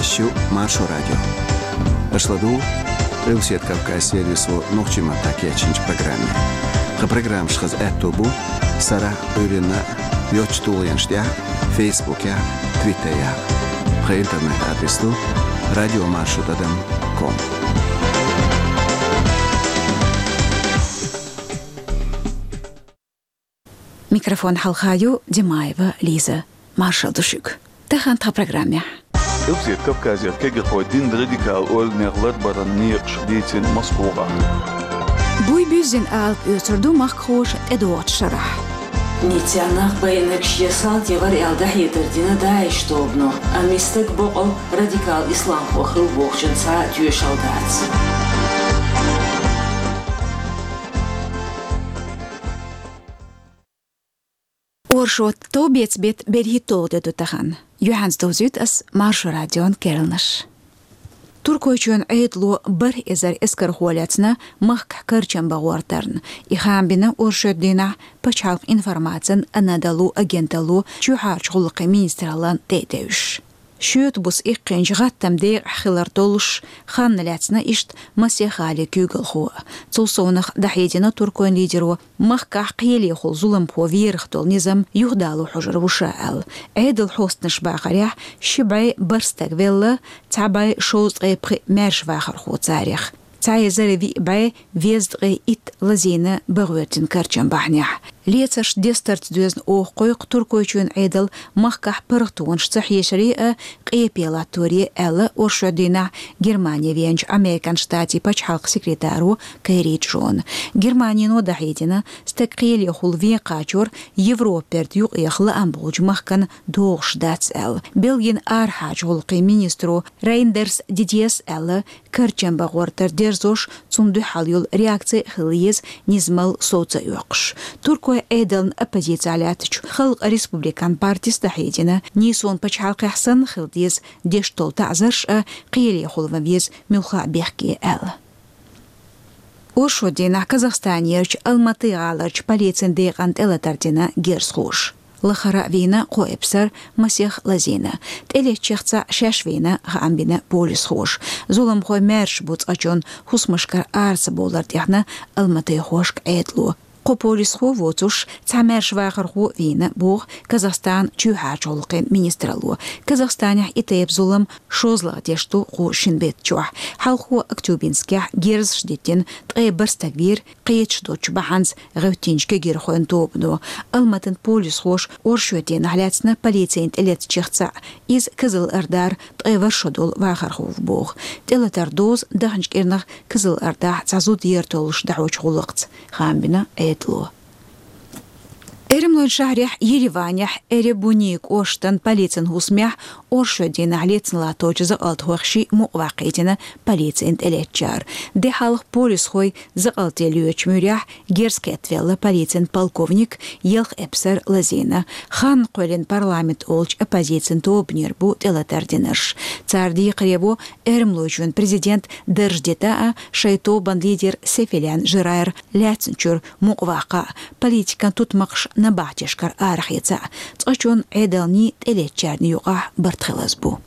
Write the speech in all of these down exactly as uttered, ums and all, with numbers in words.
Шо Маршо радио. Аша ладугӀу Къилбаседа Кавказ сервисо нохчийн маттахь кечйинчу программе. Тхан программаш хаза аьтто бу сарахь а, Ӏуьйранна а йоцчу тулгӀенаш тӀехь а, Фейсбукехь а, Твиттерехь а. Тхан интернет-адрес ду радиомаршо тӀадам ком. Микрофон хьалха ю Димаева Лиза. Маршалла ду шуьга. Тахана тхан программехь. Къилбаседа Кавказера кегирхой динан радикал ойланех ларбаран некъаш дийцина Москвахь. Буй буьззина алапа оьцур ду махкахоша тӀедогӀучу шарахь. Ниццехь нах байинарг шен салти вара аьлла дӀахьедар дина ДАИШ тобано, амма и стаг бокъал радикал исламхо хилла бохучун цхьа а тоьшалла дац. Оршот, товбеца беттан берхӀитталгӀа де ду тахана. Юьхьанца довзуьйту ас Маршо радион керланаш. Туркойчоьнан Ӏедало бархӀ эзар эскархо лецна махкахь карчам бан гӀортарна. И хаам бина оршот дийнахь пачхьалкхан информацин, Анадолу агенталло, чоьхьарчу гӀуллакхийн министраллан тӀе а девзаш. Шоьтан буса иккхинчу гӀаттаман декъехь хилар долуш, ханна лаьцна иштта масех гӀалин куьйгалхо. Цул совнаха дӀахьедина туркойн лидеро, махкахь кхелехула зуламхо верах долу низам юхадало хьожур ву ша аьлла. Ӏедалан хьостанаша бахарехь, ши бӀе бархӀ стаг велла, цхьа бӀе шовзткъе пхиъ маьрша вахархо царех. Цхьа эзар виъ бӀе везткъе итт лазийна бан гӀоьртина карчам бахьанехь. Лецарш дестарца доьзна оха кхойкху Туркойчоьнан Ӏедал махкахь паргӀатонаш ца хьешаре а, къепе латторе а, аьлла оршот дийнахь Германе веанчу Американ Штатийн пачхьалкхан секретаро Керри Джона. Германино дӀахьедина, стаг кхелехула вен кхачор Европа-берда юкъеха лаам болчу махкана догӀуш дац аьлла. Бельгин арахьарчу гӀуллакхийн министро Рейндерс Дидьес аьлла, карчам бан гӀортар дерзош, цунна дуьхьал йолу реакци а хила еза, низамалла сов ца оьккхуш. Туркойн Ӏедална оппозицехь лаьттачу Халкъан республикан партис дӀахьедина, нийсонан пачхьалкхехь санна хила деза, деш долу таӀзарш а кхелехула ван веза, муьлхха а бехке аьлла. Оршот дийнахь Казахстанерчу Алматы гӀаларчу полицин декъана тӀелатар дина герзахоша. Лахара а вийна кхо эпсар, масех лазийна. ТӀелеттачех цхьаъ шаьш вийна, хаам бина полисхоша. Зуламхой маьрша бу цкъачунна хӀусамашкара ара ца бовлар тӀехь, Алматайхошка Ӏедало. Кхо полисхо воцуш, цхьа маьрша вахархо вийна, боху Казахстанан чоьхьарчу гӀуллакхийн министралло. Казахстанехь и тайпа зулам шозлагӀа деш ду кху шина беттачохь. Хьалхо Актюбинскехь герзаш диттина ткъе бархӀ стаг вийра, кхеташ доцчу бахьанца гӀевттинчу кегирхойн тобано. Алматан полисхоша оршот дийнахь лаьцна полицина тӀелеттачех цхьаъ, иза Кызыл-Ордара ткъе ворхӀ шо долу вахархо ву боху. ТӀелатар дозу даханчу кӀирнах Кызыл-Ордахь цхьа зуда ер толлуш дӀахьочу гӀуллакхца, хаам бина Ӏедало. Эрмалойн шахьарехь Ереванехь Эребуни кӀоштан полицин хӀусамехь оршот дийнахь лецна латточу закъалтхойх шиъ мукъаваккхийтина полицина тӀелеттачара. Де хьалха полисхой закъалте лоьцучу муьрехь герз кхеттавелла полицин полковник, ялх эпсар лазийна. Ханна кхоьллина парламент олучу оппозицин тобанера бу тӀелатар динарш. Цара декхаре во Эрмалойчоьнан президент дарж дита а, шайн тобанан лидер Сефилян Жерар лаьцначуьра мукъаваккха а, политикан тутмакхаш набахтешкара арахеца а. Цкъачунна, Ӏедалний, тӀелеттачарний юкъахь барт хилаза бу.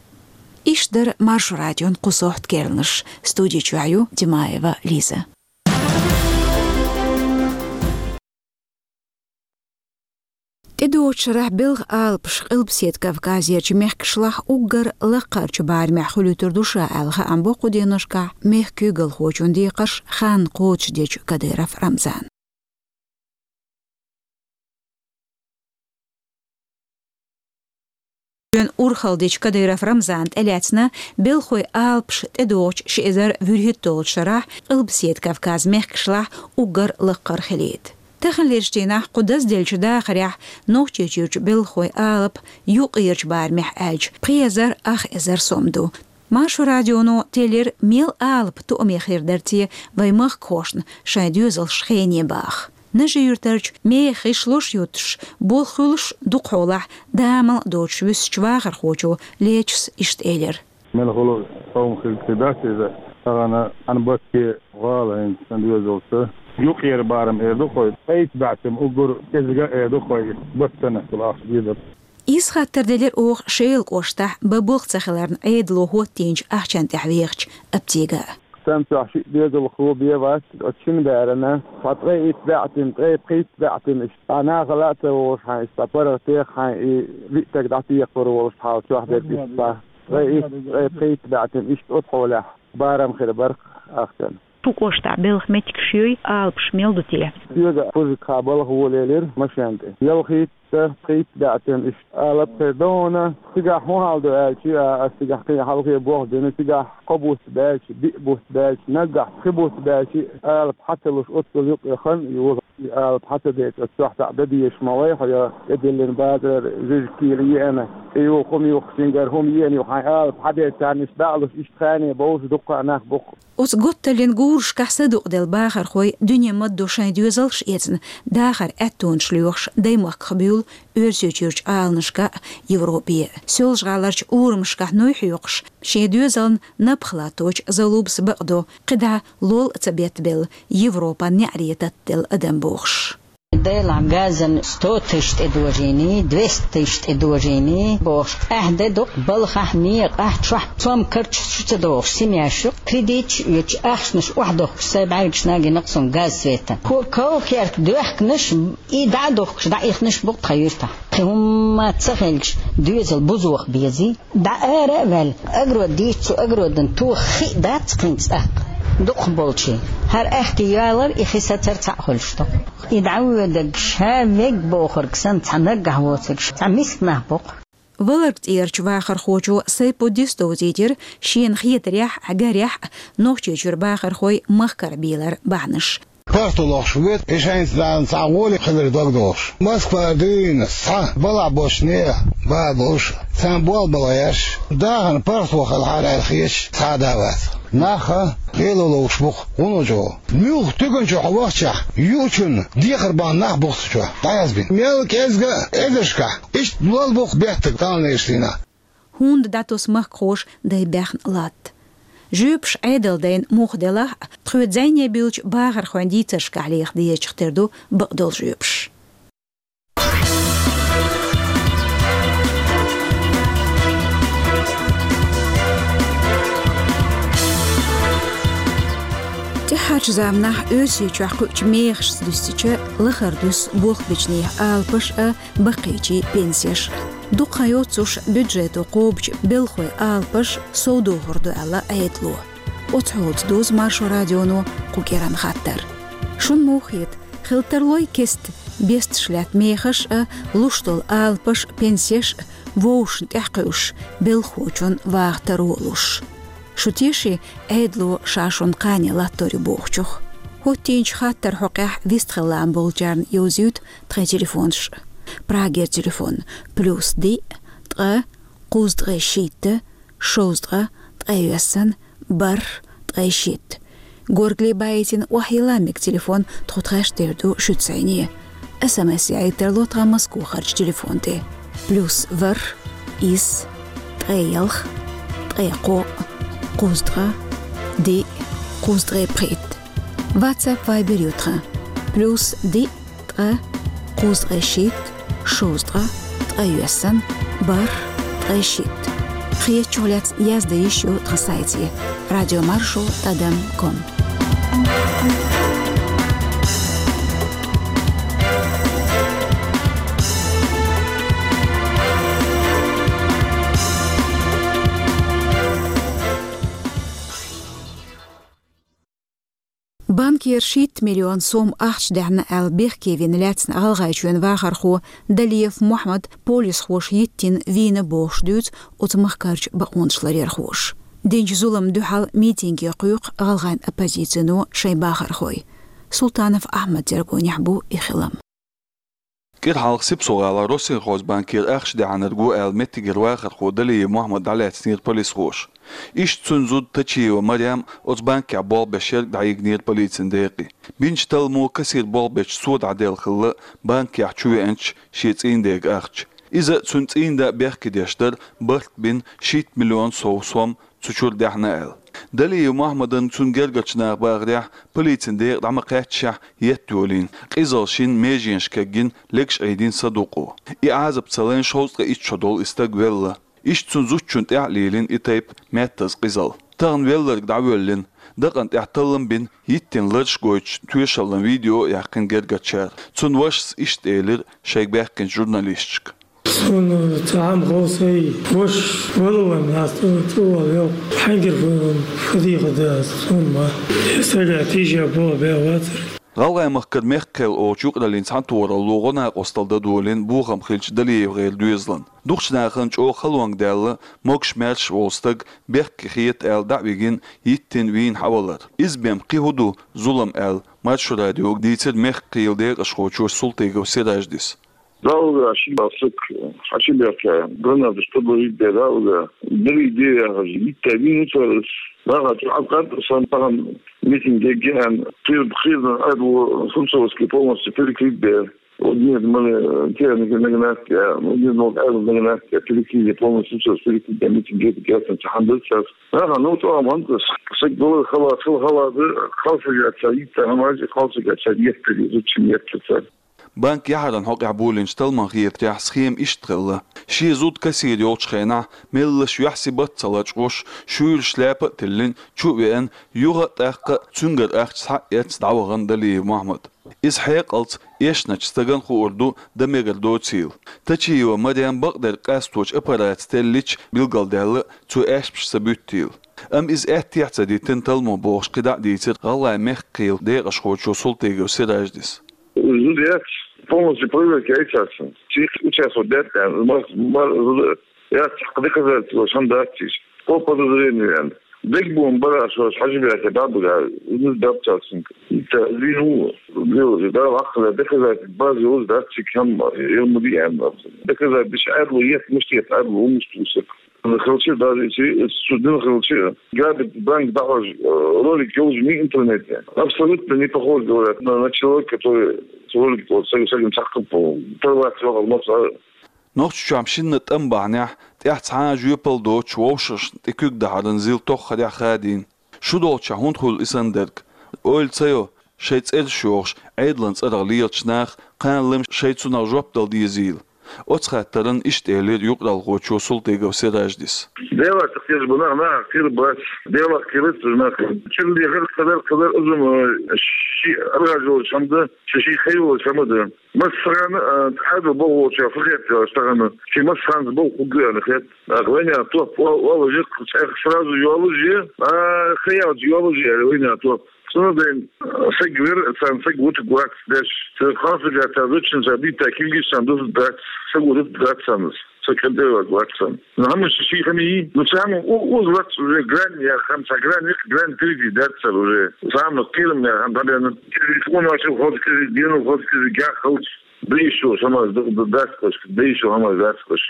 Иштта дара Маршо радион кху сохьта керланаш. Студи чохь ю Димаева Лиза. ТӀедогӀучу шарахь белхан алапаш Къилбаседа Кавказерчу мехкашлахь уггар лаккхарчу барамехь хуьлуьйтур ду ша аьлла хаам бо кху деношкахь мехкан куьйгалхочун декхарш ханна кхочушдечу Кадыров Рамзана. Шен урхалла дечу Кадыров Рамзана тӀелаьцна белхойн алапаш тӀедогӀучу ши эзар вуьрхӀитталгӀачу шарахь Къилбаседа Кавказ мехкашлахь уггар лаккхара хилийта. Таханлерчу дийнахь кху дазделлачу дахарехь Нохчийчуьрчу белхойн алапа юккъерчу барамехь аьлча пхи эзар ах эзар сом ду. Маршо радионо теллира, мел алапа тоаме хир дара те вайн махкахошна шайн доьзалш хене баха. Нажи-Юьртарчу механ гӀишлош юттуш, болх хуьлуш дукха хьолахь, дамал а доцуш вуьсучу вахархочо Лечас иштта элира. Мелхо а товма хир дац иза, тахана хьан батте гӀала хӀинца сан доьзалца. Юккъера барам эр ду хой, айса баьццам уггар кӀезига а эр ду хой, баццана ахча дезар. Иза хаттар делира оха Шелан кӀоштахь бан болх ца хиларна Ӏедало хӀоттийначу ахчанна тӀехь вехачу аптега. Сан цохь шиъ доьзалхо бен вац, оцу шина берана цхьа ткъе итт баьӀтина, ткъе пхийтта баьӀтина иштта. Цхьа нахала а ца вогӀуш хьайн иштта, цхьа паргӀат теха хьайн и виъ стаг дӀатехар волуш хьал чохь дерг иштта. Ткъе итт, ткъе пхийтта баьӀтина иштта оцу хьолехь барам хир бара ахчанна. Кху кӀоштахь белхан меттигаш юй, алапаш мел ду те? Соьга пужик хьа балха волаелира машен тӀе. Ялхитта, пхийтта баьӀтина иштта алап хир ду хьуна. Цигахь хӀун хьал ду аьлча, а, ас цигахь кхин хьалхе болх бина, цигахь кхо бутт баьлча, биъ бутт баьлча, наггахь пхи бутт баьлча, алап хьа ца луш, оццул юкъе хан а йолу. И алап хьа ца дерча, оцу чохь цхьаъ дан дезаш ма вай хьо, я тӀедиллина базарара жижиг кийла еана, тӀе юха хӀума юхкучуьнгара хӀума еана ю хьайн алап хьа дерча, царна иштта баалуш, иштта хане бовш дуккха а нах бу-кх. Оцу готталлин гурашкахь садукъаделла бахархой дуьне ма-дду шайн доьзалш а эцна, дахар аьттонаш лоьхуш даймахках буьйлу Оьрсийчуьрчу Ӏаланашка а, Европе а. Соьлжа-ГӀаларчу урамашкахь нуй хьоькхуш, шен доьзална напха латточу Залубас бакъдо, кхидӀа лол а ца беттабелла, Европан неӀаре таттаделла адам бохуш. Делахь газан сто тысяч тӀедожийний, двести тысяч тӀедожийний бохуш, ахь де дукъ балхахь, некъахь, чохь цом карчаш шу ца дохуш, семьяш ю, кредиташ а оьцуш, ахчанаш охьадохкуш, сайн бӀаьргаш нагийнакъ суна газ, света. Хьо ков-керт доьхкинарш, и дӀа а дохкуш, дӀаихнарш бу-кх тхан юьртахь. Кхин хӀумма ца хилча, доьзал бузох безий. ДӀа ара а ваьлла, огород дийцча, цу огородана тоха хи а дац кхин цӀаккха. Дукхахболчий, хӀара аьхке ялар, и хи сацар цхьаъ хуьлуш ду-кх. И дӀавоьдург ша верг бохург санна, цхьа наггахь воцург цхьа миска нах бу-кх. Валарг тӀерачу вахархочо Сайпуддис довзийтира, шена хетарехь а, гарехь а, Нохчийчуьра бахархой махкара бийлар бахьанаш. ПаргӀато лохуш ву, и шайца цхьа гӀоле хилар дог дохуш. Москва дуьйна схьа балахь болчу нехан бала болуш, царна болх бан лаьаш, дахарна паргӀато хилахьара аьлла хеташ цхьа а да вац. Нах а лело ловш бу-кх, хӀун ду чӀогӀа. Муьлхха туькан чу хьо вахчахь, юучунна дехар бахьана нах бу-кх цу чохь дӀаязбина. Мел кӀезга а эзаршкахь иштта лол бу-кх беттиг талнаш дина. ХӀунда дӀатосу махкахоша дай баьхна латта? Жоьпаш Ӏедалдайна муха делахь а, тхоьца зӀене буьллучу бахархойн дийцаршкахь леха дезачух тера ду бакъдолу жоьпаш. ТӀаьххьарчу заманахь Оьрсийчохь кхуьучу мехашца дуьстича, лахара дуьсу болх бечу нехан алапаш а, баккхийчийн пенсеш а. Дукха хан йоццуш бюджето кхобучу белхалойн алапаш совдохур ду аьлла Ӏедало. Оцу хьолца дузу Маршо радионо кху кӀиранан хаттар. Шуна муха хета, хила тарлой кеста бесташ лаьтта мехаш а, луш долу алапаш а, пенсеш а вовшашна тӀехь кхуьуш, белхахочун ваха таро а луш? Шу теший, Ӏедало ша шуна кхане латтор ю бохучух? ХӀоттийначу хаттаран хьокъехь вистхила лаам болчарна йовзуьйту тхайн телефонаш. Прагера телефон: плюс диъ, ткъа, кхузткъе шийтта, шовзткъа, ткъайоьссан, бархӀ, ткъе шийтта. Горгали баийтина охьайилла мега телефон тхо тхаьш тера ду шуьца зӀене. СМС яийта тарло тхан Москвахарчу телефон тӀе: плюс ворхӀ, исс, ткъе ялх, ткъе кхоъ, кхузткъа, диъ, кхузткъе пхийтта. WhatsApp, Viber ю тхан: плюс диъ, ткъа, кхузткъе шийтта, шовзткъа, ткъайоьссан, бархӀ, ткъе шийтта. Хетачух лаьцна яздан йиш ю тхан сайте: радиомаршо тӀадам ком. Банкера шийтта миллион сом ахча даьхьна аьлла бехке вина лаьцна ГӀалгӀайчоьнан вахархо Далиев Мохьмад полисхоша йиттина вийна бохуш дуьйцу оцу махкарчу бакъонашларъярхоша. Динчу зуламна дуьхьал митинге кхойкху гӀалгӀайн оппозицино шайн бахархой. Султанов Ахьмадан тергонехь бу и хилам. КӀира хьалха Сипсо-гӀалахь Россельхозбанкера ахча даьхьнарг ву аьлла меттигера вахархо Далиев Мохьмад дӀалаьцнера полисхоша. Иштта цуьнан зуда Тачиева Марем оцу банкехь болх беш ерг дӀайигнера полицин декъе. Бинчу талламо кассир болх бечу цо дӀаделла хилла банкехь чувеанчу шен цӀийнан дега ахча. Иза цуьнан цӀийнан да бехке деш дара барт бина шийтта миллион сов сом цу чура даьхна аьлла. Далиев Мухьаммадан цун гергарчу наха бахарехь, полицин декъа дӀа ма кхаьччехь, етта йолийна, къизалла шина меженаш кегйина, легаш Ӏийдина садукъо. И Ӏазап ца лайна шовзткъе итт шо долу и стаг велла. Иштта цу зудчунна тӀехь а лелийна и тайпа маьттаза къизалла. Тахана велларг дӀавоьллина, дакъана тӀехь таллам бина, йиттина лараш а гойтуш, тоьшаллин видео а яьккхина гергарчара. Цуьнан вашас иштта элира шайга баьхкинчу журналисташка. Суна цхьа хӀума хов сайн, ваша вала ван, ас цу, цу вала йо. Хьаьнгара фу, фу дийхар ду ас, суна ма. Сага тийжа бо бен вацара. ГӀалгӀай-Махкара «Мехкан кхел» олучу юкъараллин цхьаьнатохаралло гӀо-накъосталла дан долийна бохам хилча ДалиевгӀеран доьзална. Дукхачу нахана чӀогӀа халонга даьлла, могуш-маьрша волу стаг бехке хета аьлла дӀа а вигина, йиттина вийна хьавалар. Иза бен кхин хӀун ду зулам аьлла, Маршо радиога дийцира Мехкан кхелан декъашхочо Султыгов Сираждис. Далла ши баьсса хьачубаьхка, гранаташ подложить бе Далла, дали де яхаш, йитта вийна цара, наха чу Ӏабкъад сан пахан митинг дегге аьлла, кхир-, кхирдан аьлла, Фурцовский полностью перекрыть бе. Вот нет, мы, э, техника нагнать, а, ну, нет, ну, аьлла нагнать, а, перекрыть, полностью всё перекрыть, а, митинг дегге ясно, цхьаьна дац цара. Наха, ну, чӀогӀа мантас, саг долу хала, хала, хала, хала саг яц, йитта хӀамаш, хала саг яц, етта, зудчун етта цара. Банк яхьаран хьокъехь болийначу талламан хетарехь, схема иштта хилла. Шен зуда кассир йолчу хенахь, меллаша юьхь-сибат а ца лачкъош, шуьйрачу шляпа а тиллина, чу а веана, юха а, тӀаккха а цуьнгара ахча схьа а эцна дӀавахана Далиев Мухьаммад. Иза хьекъалца эшначу стагана хуур ду дан мегар доцийла. Тачиева Марем бакъдерг къасточу аппарат теллича билгалдаьлла, цо аьшпаш ца буьттийла. Амма иза аьттехьа ца диттина талламо бохуш кхидӀа а дийцира ГӀалгӀайн мехкан кхелан декъашхочо Султыгов Сираждис. Зуда яц, полностью проверка яйцаца. Цих участвовать дац, мар-, мар-, зуда яц, хьакха доказательство шан дац иза. По подозрению, ян. Дегбун бара шо, хьажи бяхе, бабуга, ну, дабцацинка. Ита, вину, лил, да, вахла, доказательство, база, уз, да, цик, хам, йом, ди, ян. Доказательство, адлу, ет, муштет, адлу, умуштусак. Хилча, даже если судим хилча, грабит банк, дахаж, э, ролик ёлжи ми интернете. Абсолютно не похож, говорят, на, на человека, который с ролик, вот, с этим, с этим, с этим, порвать, вот, вот, а. Нохчийчохь шинна тӀам бахьанехь, тӀехь цхьа а жоьпалла доцуш вовшашна тӀе куьг дахьаран зил тоххарехь хадийна. Шу долчохь хӀунда хуьлу и санна дерг? Ойла ца йо, шайн цӀераш йохуш, Ӏедалан цӀарах лелачу наха кхана лайш шайн цунах жоп дала дезийла. Оцу хаттаран иштта элира юкъаралхочо Султыгов Сираждис. Делах кхеташ бу нах, нах кхира бац. Делах кхира ца нах. Чуьра лехар кхадар, кхадар узум, э, ши аргӀажалла чамда, ши, ши хайвала чамда. Массаран, э, Ӏадал бохуча фахет, э, штагана. Ши массанца боху хӀуггана хет. Ах, вайна топ, ва-, вала жик, цӀех сразу йолужи, а, хаялча йолужи, вайна топ. Цунна дайн, саг вир, сан саг вутуг вац деш. Сан ханса гата зучин са бита килгиш сан дус дац, саг вутуг дац санас. Са кадева вац сан. Ну, хама ши хами, ну, сам у-, уз вац уже грань, я хам са грань, их грань впереди дац сан уже. Сам кирм, я хам бабяна. Телефон вашу ход кири, дину ход кири, гя халч. Да ещё хама дац каш, да ещё хама дац каш.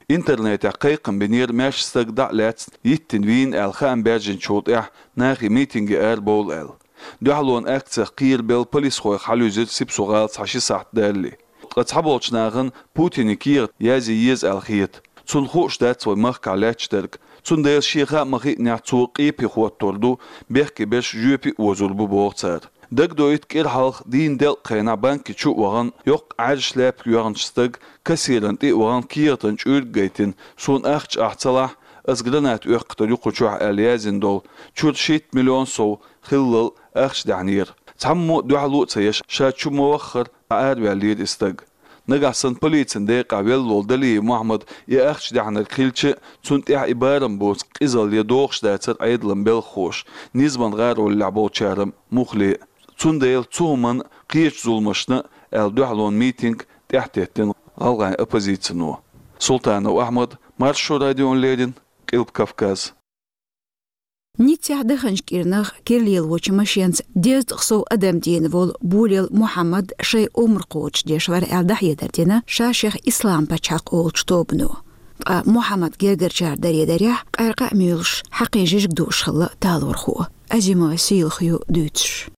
Интернетехь кхайкхам бинера маьрша стаг дӀа а лаьцна, йиттина вийна аьлла хаам баьржинчул тӀаьхьа нахе митинге арабовла аьлла. Дуьхьалонан акцех кхерабелла полисхойх хьалуьзира Сипсу-гӀала цхьа ши сахьт далале. Ткъа цхьаболчу нахана Путине кехат язъе еза аьлла хета. Цунна хууш дац вайн махкахь лаьтташ дерг. Цундела шен хаа ма-хиънехь цо къепе хӀоттор ду, бехке берш жоьпе а озор бу, боху цара. Дагадоуьйту, кӀира хьалха дийнан делкъа хенахь банке чу а вахана, йоккха Ӏаьржа шляпка йоьхначу стага кассиран тӀе а вахана, кехатан чуьрг а гайтина, суна ахча ахь ца лахь, ас гранат оьккхур ю кху чохь аьлла яздина долу, чуьра шийтта миллион сов хиллал ахча даьхьнера. Цхьаммо а дуьхьало а ца еш, ша чу ма-ваххара, дӀаараваьллера и стаг. Нагахь санна полицин декъахь велла волу Далиев Мухьаммад и ахча даьхьнарг хилча, цунна тӀехь и барам боцу къизалле догӀуш дацара Ӏедалан белхахоша, низаман гӀароллехь болчара муххале а. Цундела цу хӀуманна, кхечу зуламашна аьлла дуьхьалонан митинг тӀаьхьатеттина гӀалгӀайн оппозицино. Султанов Ахьмад, Маршо радиона леррина, Къилба Кавказ. Ниццехь даханчу кӀирнах кира лелочу машенца дезткъа сов адам дийна волу Булел Мухьаммад шайн омра кхочушдеш вара аьлла дӀахьедар дина, ша шех Ислам-пачхьалкх олучу тобано. Ткъа Мухьаммад гергарчара даре дарехь, къаьркъа а муьйлуш, хьакхин жижиг дууш хилла талорхо. Азимова Сийлахьо дуьйцуш.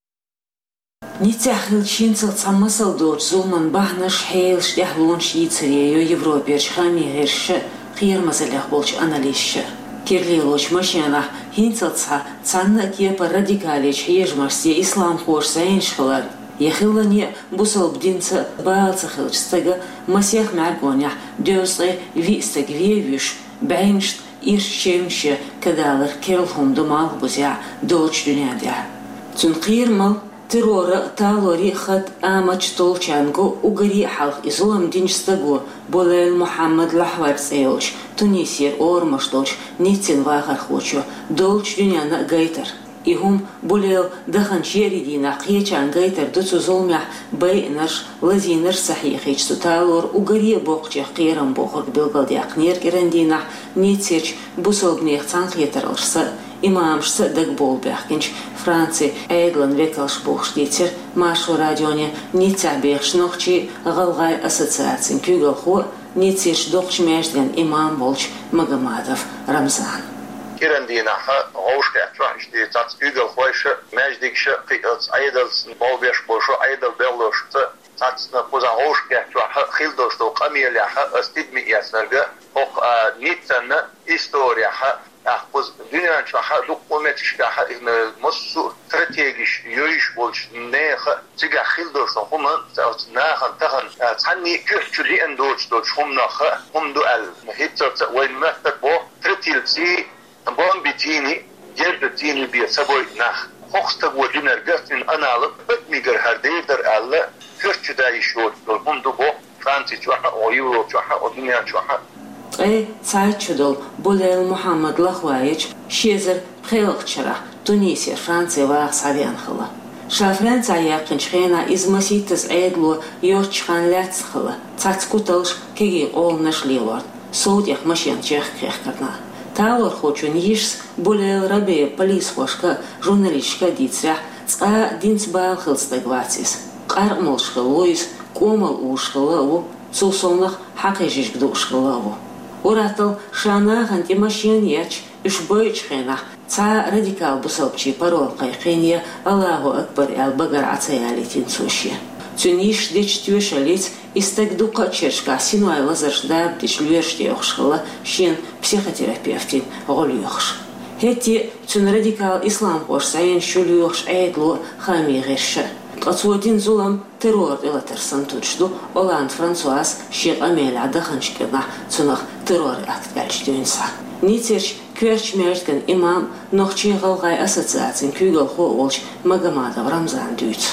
Ниццехь хиллачу хӀинцалц цхьа масал доцу зуламан бахьанаш, хьелаш, тӀаьхьалонаш йийцаре йо Европерчу хаамийн гӀирсаша, кхерамазаллех болчу анализаша. Кирлелочу машенахь хӀинцалц схьа цхьанна а кепара радикалечу хьежамашца я исламхоша зӀенаш хилар, я хиллане а бусалба динца бала ца хиллачу стага масех мӀаьргонехь дезткъе виъ стаг вен а вуьйш, бӀеннашна ирча чевнаш ян кадалар керла хӀума ду малхбузехь долчу дуьнен тӀехь. Цуьнан кхерамал, террора а, талорийн а хатта амачу толлучарна го уггаре а хьалха и зулам динчу стага, Булел Мухьаммад Лахвари цӀе йолчу Тунисера орамаш долчу Ниццин вахархочо долчу дуьненна а гайтар. И хӀума Булел даханчу еарин дийнахь кхечарна гайтар ду цу зуламехь байинарш, лазийнарш ца хьехийча цу талора уггаре а боккхачех кхерам бохург билгалдаьккхинера кӀиран дийнахь Ниццерчу бусалбанех цхьаьнакхетараллашца а, имамашца а дагабовла баьхкинчу Францин Ӏедалан векалша бохуш дийцира Маршо радионе Ниццехь бехачу нохчийн, гӀалгӀайн ассоциацин куьйгалхо а, Ниццерчу доккхачу маьждиган имам а волчу Магомадов Рамзана. КӀиран дийнахь вовшахкхетчохь иштта цхьацца куьйгалхойша, маьждигша, кхин а оцу Ӏедалца болх беш болуш, Ӏедал бехлошца цхьацца кхузахь вовшахкхетчохь хилла долуш долу къамелехь аса тидаме эцнарг, хӀокху а Ниццан исторехь, тӀаккха кхуза дуьнен чохь а, дуккха а меттигашкахь а, иза массо а стратегиш йойуш болчу нехан а, цигахь хилла долуш долу хӀума, оцу нахана тахана, а, цхьанний а коьрта чу лиъна доцуш долчу хӀуманах а хӀума ду аьлла, хӀинццалц а вайн меттиг боху, тротилций, бомбиций, герзаций бен ца бойу нах. ХӀокху стага динарг а, цуьнан аналог адамигара хӀара дер дара аьлла, коьрта чу дан йиш йоцуш долу хӀума ду боху, Франци чохь а, о Европа чохь а, о дуьнен чохь а. Ткъе цхьайтта шо долу Булел Мухьаммад Лахвари ши эзар пхоьалгӀачу шарахь Тунисера Франци ваха схьавеана хилла. Ша Францехь яьккхинчу хенахь иза масийттаза Ӏедало йоцчу ханна лаьцна хилла, цхьацца куталш, кегий къоланаш лелорна, сов тӀех машенан чехка хехкарна. Талорхочун йишас Булел Рабеа полисхошка а, журналисташка а дийцарехь, цкъа а динца бала хилла стаг вац иза. Къаркъа молуш хилла ву иза, кӀомал узуш хилла а ву, цул совнаха хьакхийжижиг дууш хилла а ву. Ур-атталла ша нахана тӀе машен а етташ, уьш бойучу хенахь, цхьа а радикал бусалбачийн парол кхайкхийна я «Аллаху Акбар» аьлла багара Ӏа ца ялийтина цо шен. Цуьнан йиша дечу тоьшаллица и стаг дуккха а чергашкахь синой лазарш дарба дича лоьраш тӀеохуш хилла, шена психотерапевтийн гӀо лоьхуш. ХӀетте а цуьнан радикал исламхоша зӀенаш ю лоьхуш Ӏедало а, хаамийн гӀирсаша а. Ткъа цо дина зулам террор тӀелатар санна туьдуш ду Олланд Франсуаз шен къамелехь даханчу кӀирнахь цунах террор-акт аьлча дуьйна схьа. Ниццерчу коьртачу маьждиган имам, нохчийн-гӀалгӀайн ассоциацин куьйгалхо а волчу Магомадов Рамзана дуьйцу.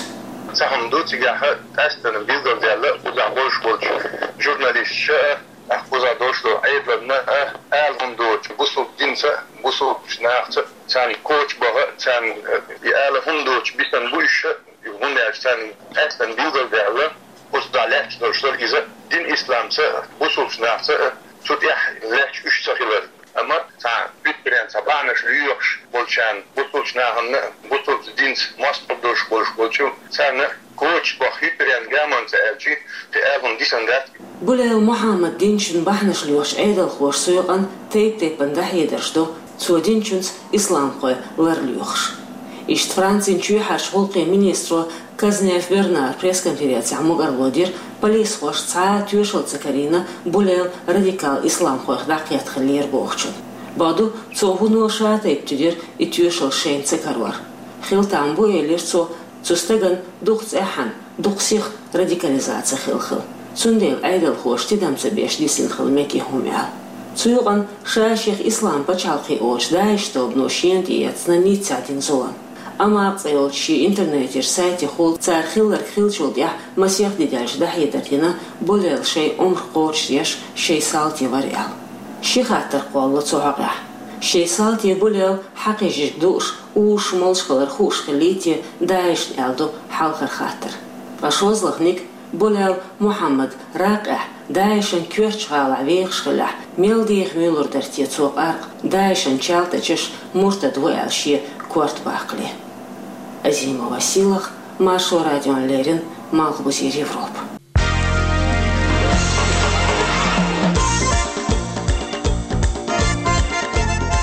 Цхьа хӀума ду цигахь, къаьсттина билгалдаьлла, кхузахь болуш болчу журналисташа а, тӀаккха кхузахь долуш долу Ӏедална а, ала хӀума доцуш, бусалба динца а, бусалбачу нахаца а, царна коча баха а, царна, э, и ала хӀума доцуш бисина бу уьш а, хӀунда аьлча царна къаьсттина билгалдаьлла, кхузахь лаьтташ долуш дара иза дин исламца а, бусалбачу нахаца а, цу тӀехь лаьтташ уьш ца хилар. Амма цхьа хӀуьттаренна цхьа бахьанаш лоьхуш болчарна, бусалбачу нахана а, бусалба динца мостагӀ долуш болуш болчу, царна коча баха хӀуьттаренна гаманца аьлчи, кхин ала хӀума дисина дац. Булел Мухьаммад динчун бахьанаш лоьхучу Ӏедалхоша цу юкъанна тайп-тайпана дӀахьедарш до, цо динчунца исламхой лар лоьхуш. Иштта Францин чоьхьарчу гӀуллакхийн министро Казнев Бернара пресс-конференцехь мукӀарло дира, полисхоша цхьа а тоьшалла ца карийна Булел радикал исламхойх дӀакхетта хиллера бохучун. Бакъду, цо вуно ша тайпа туьдира и тоьшалла шайна ца карор. Хила там бу, элира цо, цу стагана дукха цӀеххьана, дукха сиха радикализаци хилла хила. Цундела Ӏедалхоша тидам ца беш дисина хила мега и хӀума аьлла. Цу юкъанна ша шех ислам пачхьалкхе олучу ДАИШ тобано шена тӀеэцна Ниццехь дина зулам. Амакъ цӀе йолчу шен интернетера сайтехула цара хилларг хиллачул тӀаьхьа масех де даьлча дӀахьедар дина Булел шайн омра кхочушдеш шайн салти вара аьлла. Ши хаттар кхоллало цу хьокъехь. Шайн салти Булел хьакхийжижиг дууш, узуш, молуш хилар хууш хиллий те ДАИШ-на аьлла ду хьалхара хаттар. Ткъа шозлагӀниг, Булел Мухьаммад Раккъехь, ДАИШ-ан коьртачу гӀалахь вехаш хиллехь, мел деха муьйлур дара те цо къаркъа ДАИШ-ан чалтачаш муртад ву аьлла шен корта баккхале? Азимова Сийлаха, Маршо радиона леррина, Малхбузера Европа.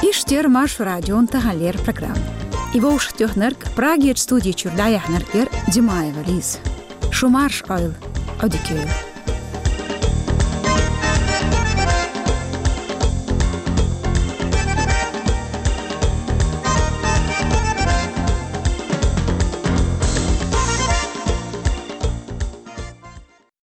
Иштта яра Маршо радион таханлера программа. И вовшахтоьхнарг, Прагерчу студи чуьра дӀаяьхьнарг яра Димаева Лиза. Шу марша Ӏойла, Ӏодика йойла.